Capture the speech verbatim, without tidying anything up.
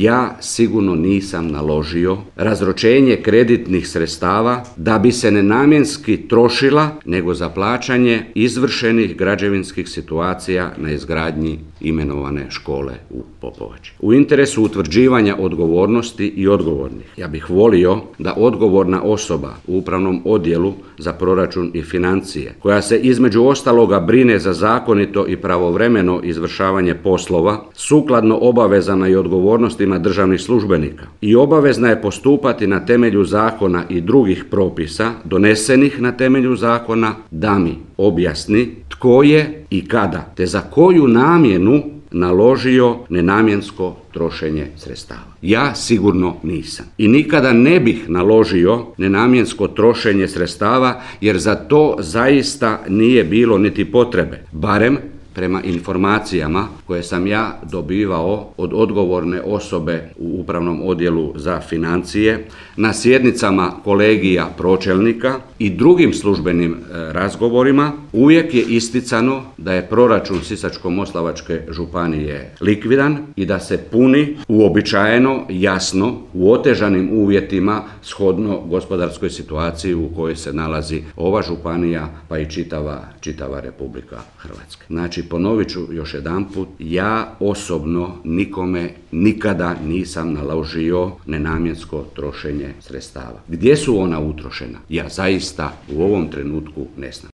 ja sigurno nisam naložio razročenje kreditnih sredstava da bi se nenamjenski trošila, nego za plaćanje izvršenih građevinskih situacija na izgradnji imenovane škole u Popovači. U interesu utvrđivanja odgovornosti i odgovornih, ja bih volio da odgovorna osoba u upravnom odjelu za proračun i financije, koja se između ostaloga brine za zakonito i pravovremeno izvršavanje poslova, sukladno obavezama i odgovornostima državnih službenika i obavezna je postupati na temelju zakona i drugih propisa donesenih na temelju zakona, da mi objasni tko je i kada te za koju namjenu naložio nenamjensko trošenje sredstava. Ja sigurno nisam. I nikada ne bih naložio nenamjensko trošenje sredstava, jer za to zaista nije bilo niti potrebe. Barem prema informacijama koje sam ja dobivao od odgovorne osobe u upravnom odjelu za financije, na sjednicama kolegija pročelnika i drugim službenim razgovorima, uvijek je isticano da je proračun Sisačko-moslavačke županije likvidan i da se puni uobičajeno, jasno, u otežanim uvjetima shodno gospodarskoj situaciji u kojoj se nalazi ova županija, pa i čitava, čitava Republika Hrvatska. Znači, ponovit ću još jedanput, ja osobno nikome nikada nisam naložio nenamjensko trošenje sredstava. Gdje su ona utrošena? Ja zaista u ovom trenutku ne znam.